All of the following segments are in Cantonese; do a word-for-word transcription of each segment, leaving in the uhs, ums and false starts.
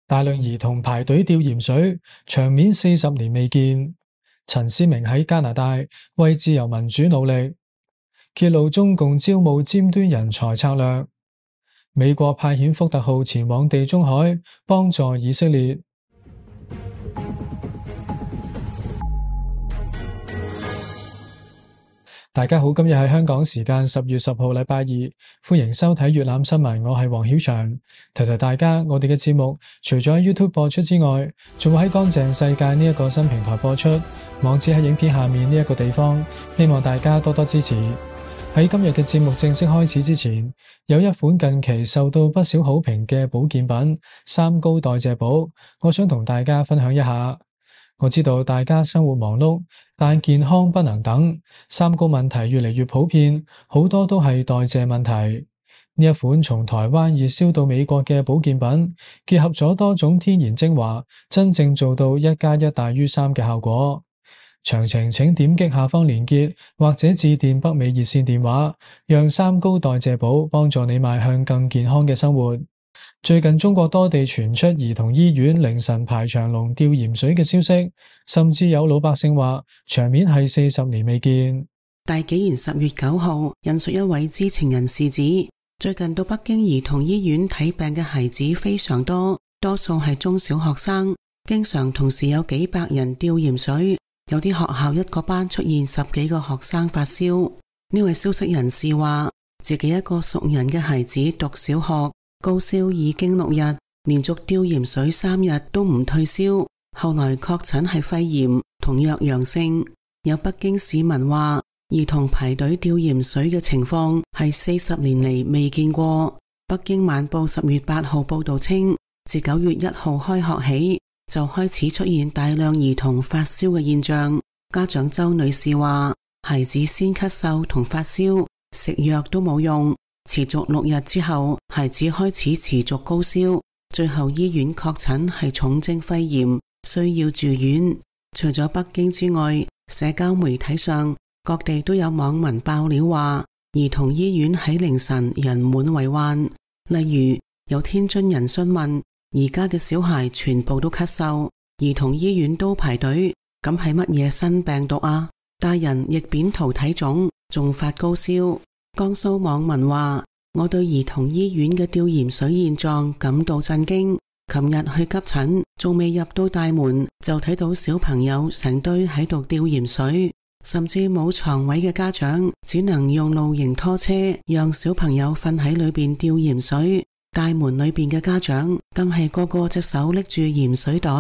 大量兒童排隊吊鹽水，場面四十年未見。陳思明喺加拿大為自由民主努力，揭露中共招募尖端人才策略。美國派遣福特號前往地中海幫助以色列。大家好，今日係香港時間十月十號禮拜二，歡迎收睇粵覽新聞，我係黃曉翔。提提大家，我哋嘅節目除咗喺 YouTube 播出之外，仲會喺乾淨世界呢一個新平台播出，網址喺影片下面呢一個地方，希望大家多多支持。喺今日嘅節目正式開始之前，有一款近期受到不少好評嘅保健品三高代謝寶，我想同大家分享一下。我知道大家生活忙碌，但健康不能等，三高問題越嚟越普遍，好多都係代謝問題。呢一款從台灣熱銷到美國嘅保健品，結合咗多種天然精華，真正做到一加一大於三嘅效果。詳情請點擊下方連結，或者致電北美熱線電話，讓三高代謝寶幫助你邁向更健康嘅生活。最近中國多地傳出兒童醫院凌晨排長龍吊鹽水嘅消息，甚至有老百姓話場面係四十年未見。大紀元十月九號引述一位知情人士指，最近到北京兒童醫院睇病嘅孩子非常多，多數係中小學生，經常同時有幾百人吊鹽水，有啲學校一個班出現十幾個學生發燒。呢位消息人士話，自己一個熟人嘅孩子讀小學，高燒已經六日，連續吊鹽水三日都唔退燒，後來確診係肺炎，同樣陽性。有北京市民話，兒童排隊吊鹽水嘅情況係四十年嚟未見過。北京晚報十月八號報道稱，自九月一號開學起，就開始出現大量兒童發燒嘅現象。家長周女士話，孩子先咳嗽同發燒，食藥都冇用。持續六日之後，孩子開始持續高燒，最後醫院確診係重症肺炎，需要住院。除咗北京之外，社交媒體上各地都有網民爆料話，兒童醫院喺凌晨人滿為患。例如有天津人詢問，而家嘅小孩全部都咳嗽，兒童醫院都排隊，咁係乜嘢新病毒啊？大人亦扁桃體腫，仲發高燒。江蘇網民話，我對兒童醫院嘅吊鹽水現狀感到震驚。琴日去急診，仲未入到大門，就睇到小朋友成堆喺度吊鹽水，甚至冇床位嘅家長只能用露營拖車讓小朋友瞓喺裏邊吊鹽水。大門裏邊嘅家長更係個個隻手拎住鹽水袋。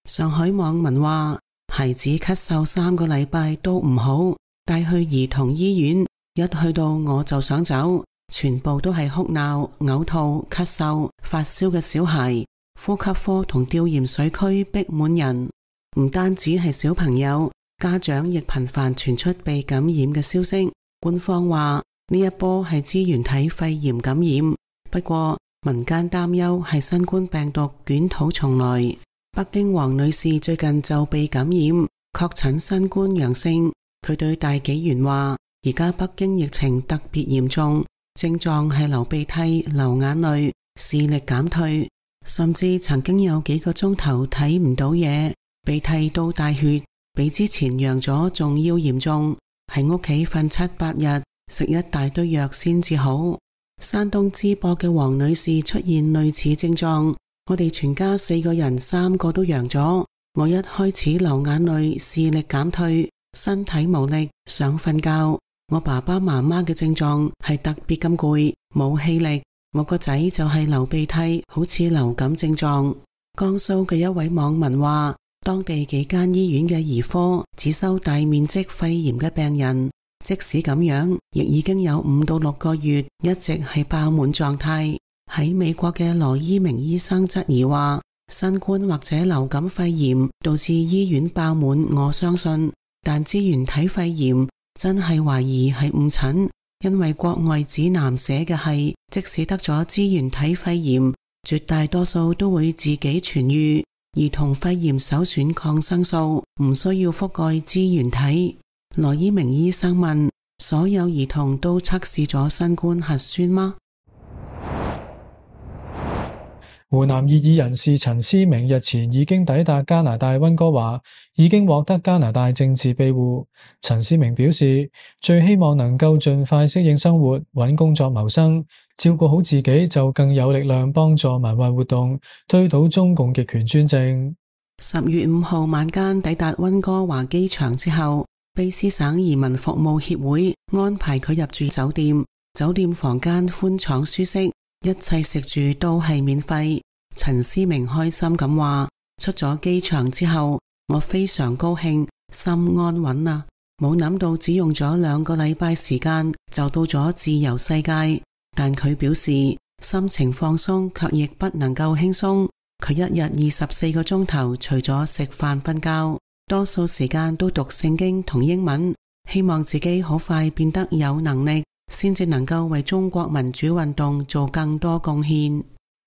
上海網民話，孩子咳嗽三個禮拜都唔好，帶去兒童醫院，一去到我就想走，全部都係哭鬧、嘔吐、咳嗽、發燒嘅小孩。呼吸科同吊鹽水區逼滿人，唔單止係小朋友，家長亦頻繁傳出被感染嘅消息。官方話呢一波係支原體肺炎感染，不過民間擔憂係新冠病毒捲土重來。北京王女士最近就被感染，確診新冠陽性。佢對大紀元話，而家北京疫情特別嚴重，症狀係流鼻涕、流眼淚、視力減退，甚至曾經有幾個鐘頭睇唔到嘢，鼻涕到大血，比之前陽咗仲要嚴重，喺屋企瞓七八日，食一大堆藥先至好。山東淄博嘅黃女士出現類似症狀，我哋全家四個人三個都陽咗，我一開始流眼淚，視力減退，身體無力，想瞓覺。我爸爸媽媽嘅症狀係特別咁攰，冇氣力。我個仔就係流鼻涕，好似流感症狀。江蘇嘅一位網民話，當地幾間醫院嘅兒科只收大面積肺炎嘅病人，即使咁樣，亦已經有五到六個月一直係爆滿狀態。喺美國嘅羅伊明醫生質疑話，新冠或者流感肺炎導致醫院爆滿，我相信，但支原體肺炎真係懷疑係誤診，因為國外指南寫嘅係，即使得咗支原體肺炎，絕大多數都會自己痊癒。兒童肺炎首選抗生素，唔需要覆蓋支原體。羅伊明醫生問，所有兒童都測試咗新冠核酸嗎？湖南異議人士陳思明日前已經抵達加拿大溫哥華，已經獲得加拿大政治庇護。陳思明表示，最希望能夠盡快適應生活，揾工作謀生，照顧好自己，就更有力量幫助民運活動，推倒中共極權專政。十月五號晚間抵達溫哥華機場之後，卑詩省移民服務協會安排佢入住酒店，酒店房間寬敞舒適，一切食住都係免費。陳思明開心咁話：出咗機場之後，我非常高興，心安穩啊！冇諗到只用咗兩個禮拜時間就到咗自由世界。但佢表示心情放鬆，卻亦不能夠輕鬆。佢一日二十四個鐘頭，除咗食飯瞓覺，多數時間都讀聖經同英文，希望自己好快變得有能力，先至能夠為中國民主運動做更多貢獻。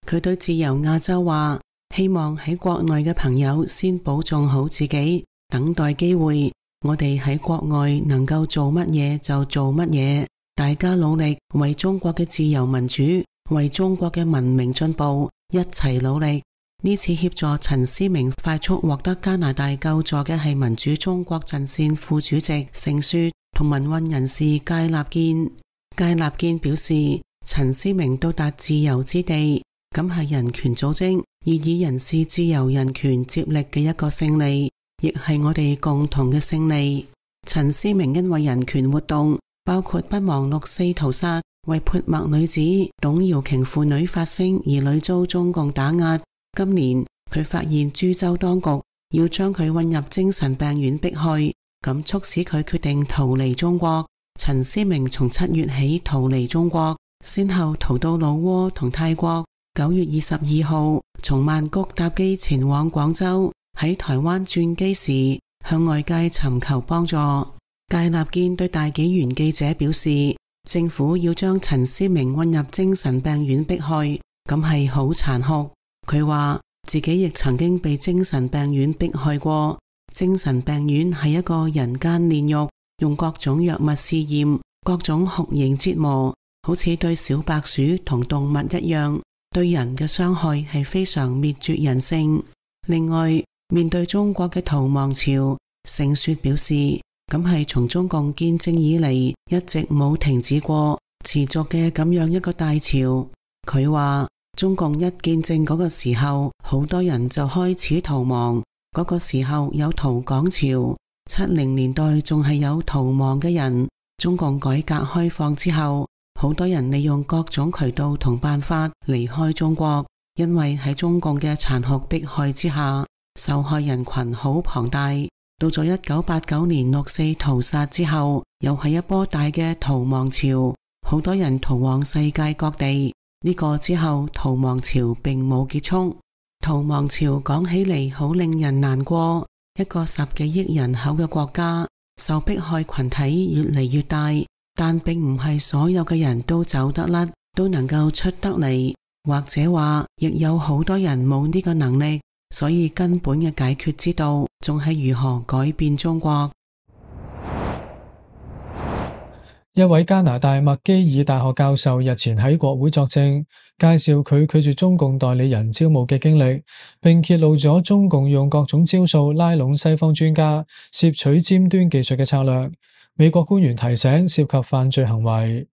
佢對自由亞洲話：希望喺國內嘅朋友先保重好自己，等待機會。我哋喺國外能夠做乜嘢就做乜嘢，大家努力為中國嘅自由民主，為中國嘅文明進步，一齊努力。呢次協助陳思明快速獲得加拿大救助嘅係民主中國陣線副主席盛雪同民運人士芥立堅。芥立堅表示，陳思明到達自由之地，咁係人權組織異議人士自由人權接力嘅一個勝利，亦係我哋共同嘅勝利。陳思明因為人權活動，包括不忘六四屠殺、為潑墨女子董瑤瓊婦女發聲而屢遭中共打壓。今年佢發現株洲當局要將佢運入精神病院迫害，咁促使佢決定逃離中國。陳思明從七月起逃離中國，先後逃到老撾同泰國。九月二十二號從曼谷搭機前往廣州，喺台灣轉機時向外界尋求幫助。芥立堅對大紀元記者表示，政府要將陳思明運入精神病院迫害，咁係好殘酷。佢話自己亦曾經被精神病院迫害過，精神病院係一個人間煉獄，用各種藥物試驗，各種酷刑折磨，好似對小白鼠同動物一樣，對人嘅傷害係非常滅絕人性。另外，面對中國嘅逃亡潮，盛雪表示，咁係從中共建政以嚟一直冇停止過，持續嘅咁樣一個大潮。佢話中共一建政嗰個時候，好多人就開始逃亡，嗰個時候有逃港潮，七零年代仲係有逃亡嘅人。中共改革開放之後，好多人利用各種渠道同辦法離開中國，因為喺中共嘅殘酷迫害之下，受害人群好龐大。到咗一九八九年六四屠殺之後，又係一波大嘅逃亡潮，好多人逃往世界各地。呢個之後逃亡潮並冇結束。逃亡潮講起嚟好令人難過，一個十幾億人口嘅國家，受迫害群體越嚟越大，但並唔係所有嘅人都走得甩，都能夠出得嚟，或者話亦有好多人冇呢個能力，所以根本嘅解決之道仲係如何改變中國。一位加拿大麥基爾大學教授日前喺國會作證，介紹佢拒絕中共代理人招募嘅經歷，並揭露咗中共用各種招數拉攏西方專家，攝取尖端技術嘅策略。美國官員提醒涉及犯罪行為。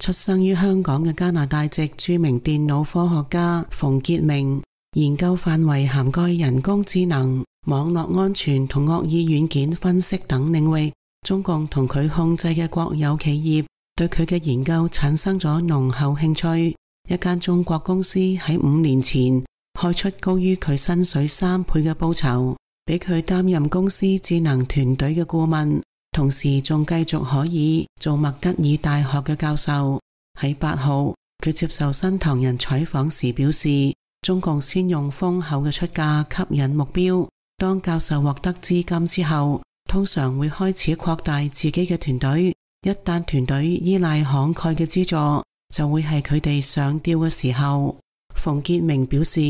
出生於香港嘅加拿大籍著名電腦科學家馮傑明，研究範圍涵蓋人工智能、網絡安全同惡意軟件分析等領域。中共同佢控制嘅國有企業對佢嘅研究產生咗濃厚興趣。一間中國公司喺五年前開出高於佢薪水三倍嘅報酬，俾佢擔任公司智能團隊嘅顧問，同時仲繼續可以做麥吉爾大學嘅教授。喺八號，佢接受新唐人採訪時表示，中共先用豐厚嘅出價吸引目標，當教授獲得資金之後，通常會開始擴大自己嘅團隊，一旦團隊依賴慷慨嘅資助，就會係佢哋上吊嘅時候。馮傑明表示，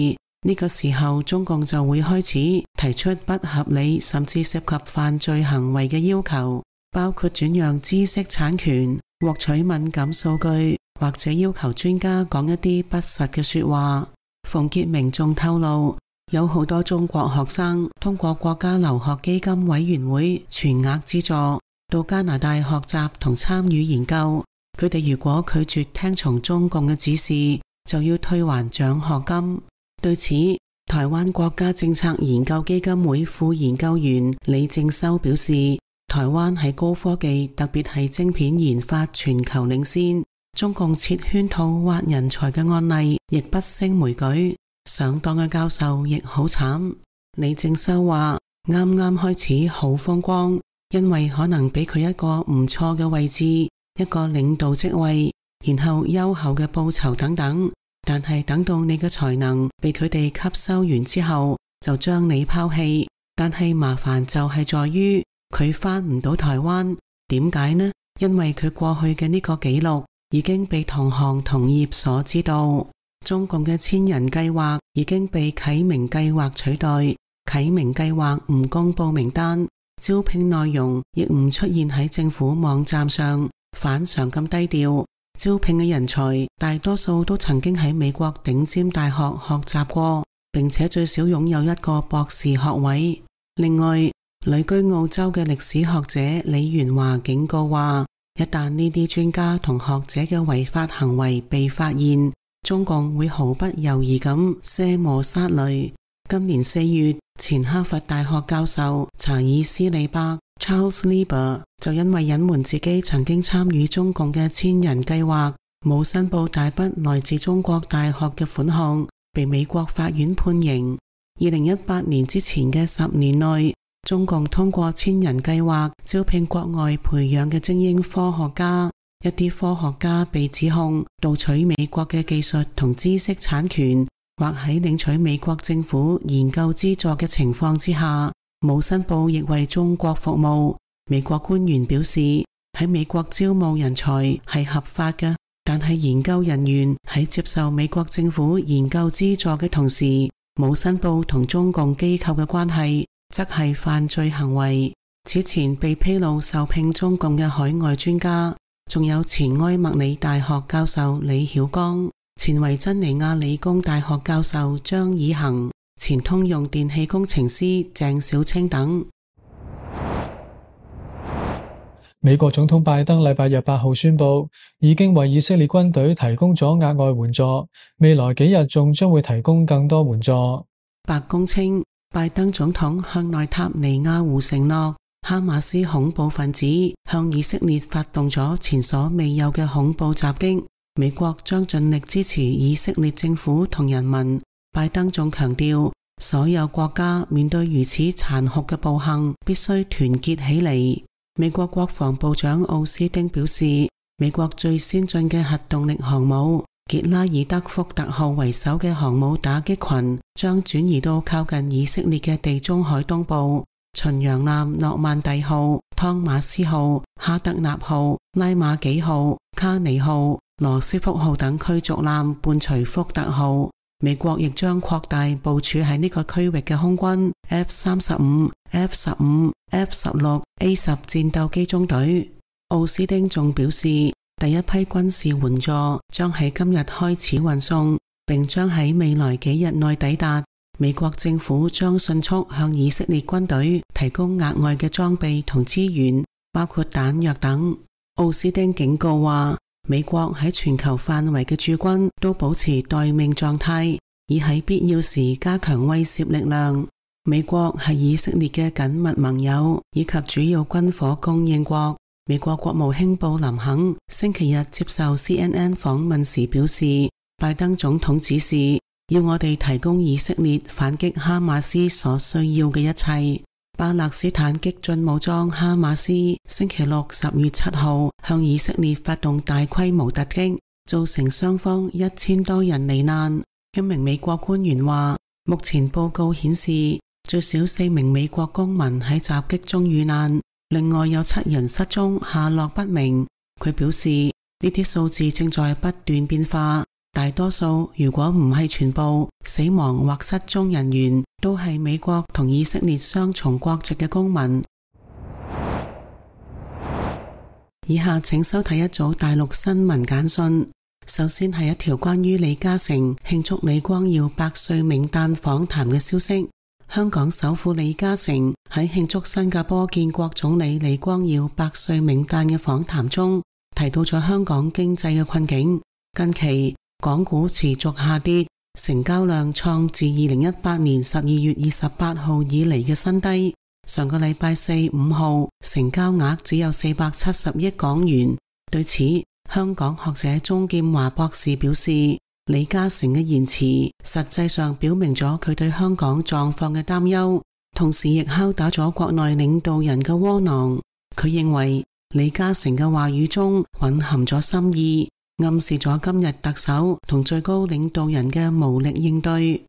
呢個時候中共就會開始提出不合理甚至涉及犯罪行為嘅要求，包括轉讓知識產權、獲取敏感數據，或者要求專家講一啲不實嘅說話。馮傑明仲透露，有好多中國學生通過國家留學基金委員會全額資助到加拿大學習同參與研究，佢哋如果拒絕聽從中共嘅指示，就要退還獎學金。對此，台灣國家政策研究基金會副研究員李正修表示，台灣喺高科技，特別係晶片研發全球領先，中共設圈套挖人才嘅案例亦不勝枚舉，上當嘅教授亦好慘。李正修話，啱啱開始好風光，因為可能俾佢一個唔錯嘅位置，一個領導職位，然後優厚嘅報酬等等，但係等到你嘅才能被佢哋吸收完之後，就將你拋棄。但係麻煩就係在於佢返唔到台灣，點解呢？因為佢過去嘅呢個記錄已經被同行同業所知道。中共嘅千人計劃已經被啟明計劃取代，啟明計劃唔公布名單，招聘內容亦唔出現喺政府網站上，反常咁低調。招聘嘅人才大多數都曾經喺美國頂尖大學學習過，並且最少擁有一個博士學位。另外，旅居澳洲嘅歷史學者李元華警告話，一旦呢啲專家同學者嘅違法行為被發現，中共會毫不猶豫咁卸磨殺驢。今年四月，前哈佛大學教授查爾斯利伯 Charles Lieber 就因為隱瞞自己曾經參與中共嘅千人計劃，冇申報大筆來自中國大學嘅款項，被美國法院判刑。二零一八年之前嘅十年內，中共通過千人計劃招聘國外培養嘅精英科學家，一啲科學家被指控盜取美國嘅技術同知識產權，或喺領取美國政府研究資助嘅情況之下，冇申報亦為中國服務。美國官員表示，喺美國招募人才係合法嘅，但係研究人員喺接受美國政府研究資助嘅同時，冇申報同中共機構嘅關係，則係犯罪行為。此前被披露受聘中共嘅海外專家，仲有前埃默里大學教授李曉光、前維珍尼亞理工大學教授張以恒、前通用電氣工程師鄭小青等。美國總統拜登禮拜日八號宣布，已經為以色列軍隊提供咗額外援助，未來幾日仲將會提供更多援助。白宮稱，拜登總統向內塔尼亞胡承諾，哈馬斯恐怖分子向以色列發動咗前所未有嘅恐怖襲擊，美國將盡力支持以色列政府同人民。拜登仲強調，所有國家面對如此殘酷嘅暴行，必須團結起嚟。美國國防部長奧斯汀表示，美國最先進嘅核動力航母傑拉爾德福特號為首嘅航母打擊群將轉移到靠近以色列嘅地中海東部。巡洋艦諾曼第號、湯馬斯號、哈德納號、拉馬幾號、卡尼號、羅斯福號等驅逐艦伴隨福特號。美國亦將擴大部署喺呢個區域嘅空軍 F 三十五、F 十五、F 十六、A 十戰鬥機中隊。奧斯汀仲表示，第一批軍事援助將喺今日開始運送，並將喺未來幾日內抵達。美國政府將迅速向以色列軍隊提供額外嘅裝備同資源，包括彈藥等。奧斯汀警告話，美國喺全球範圍嘅駐軍都保持待命狀態，以喺必要時加強威懾力量。美國係以色列嘅緊密盟友以及主要軍火供應國。美國國務卿布林肯星期日接受 C N N 訪問時表示，拜登總統指示要我哋提供以色列反擊哈馬斯所需要嘅一切。巴勒斯坦激進武裝哈馬斯星期六十月七號向以色列發動大規模突擊，造成雙方一千多人罹難。一名美國官員話，目前報告顯示最少四名美國公民喺襲擊中遇難，另外有七人失蹤，下落不明。佢表示，呢啲數字正在不斷變化，大多數如果唔係全部死亡或失蹤人員都係美國同以色列雙重國籍嘅公民。以下請收睇一組大陸新聞簡訊。首先係一條關於李嘉誠慶祝李光耀百歲冥誕訪談嘅消息。香港首富李嘉誠喺慶祝新加坡建國總理李光耀百歲冥誕嘅訪談中，提到咗香港經濟嘅困境。近期港股持續下跌，成交量創自二零一八年十二月二十八號以嚟嘅新低。上個禮拜四、五號成交額只有四百七十億港元。對此，香港學者鍾劍華博士表示，李嘉誠嘅言辭實際上表明咗佢對香港狀況嘅擔憂，同時亦敲打咗國內領導人嘅窩囊。佢認為李嘉誠嘅話語中蘊含咗深意，暗示咗今日特首同最高領導人嘅無力應對。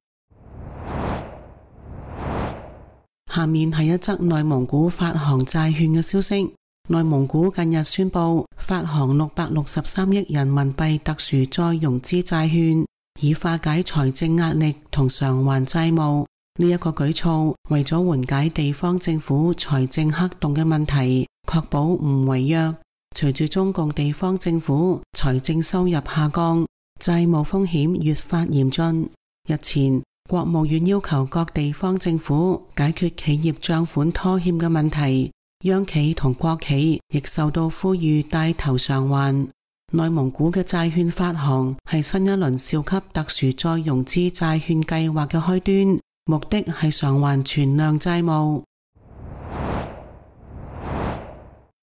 下面係一則內蒙古發行債券嘅消息。內蒙古近日宣布發行六百六十三億人民幣特殊再融資債券，以化解財政壓力同償還債務。呢一個舉措為咗緩解地方政府財政黑洞嘅問題，確保唔違約。隨住中共地方政府財政收入下降，債務風險越發嚴峻。日前，國務院要求各地方政府解決企業賬款拖欠嘅問題，央企同國企亦受到呼籲帶頭償還。內蒙古嘅債券發行係新一輪兆級特殊再融資債券計劃嘅開端，目的係償還存量債務。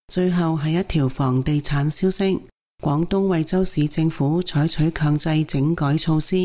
最後係一條房地產消息，廣東惠州市政府採取強制整改措施，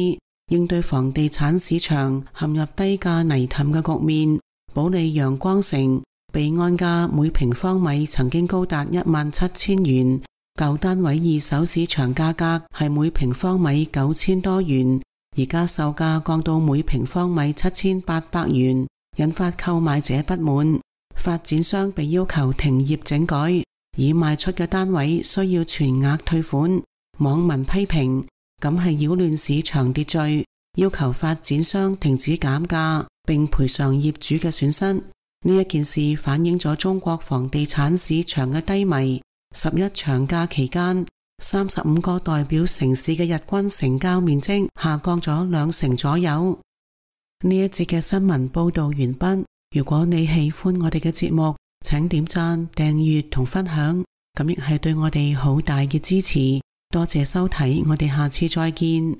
應對房地產市場陷入低價泥凼嘅局面。保利陽光城備案價每平方米曾經高達一萬七千元，舊單位二手市場價格係每平方米九千多元，而家售價降到每平方米七千八百元，引發購買者不滿。發展商被要求停業整改，已賣出嘅單位需要全額退款。網民批評咁係擾亂市場秩序，要求發展商停止減價並賠償業主嘅損失。呢一件事反映咗中國房地產市場嘅低迷。十一長假期間，三十五個代表城市嘅日均成交面積下降咗兩成左右。呢一節嘅新聞報道完畢。如果你喜歡我哋嘅節目，請點讚、訂閱同分享，咁亦係對我哋好大嘅支持。多謝收睇，我哋下次再見。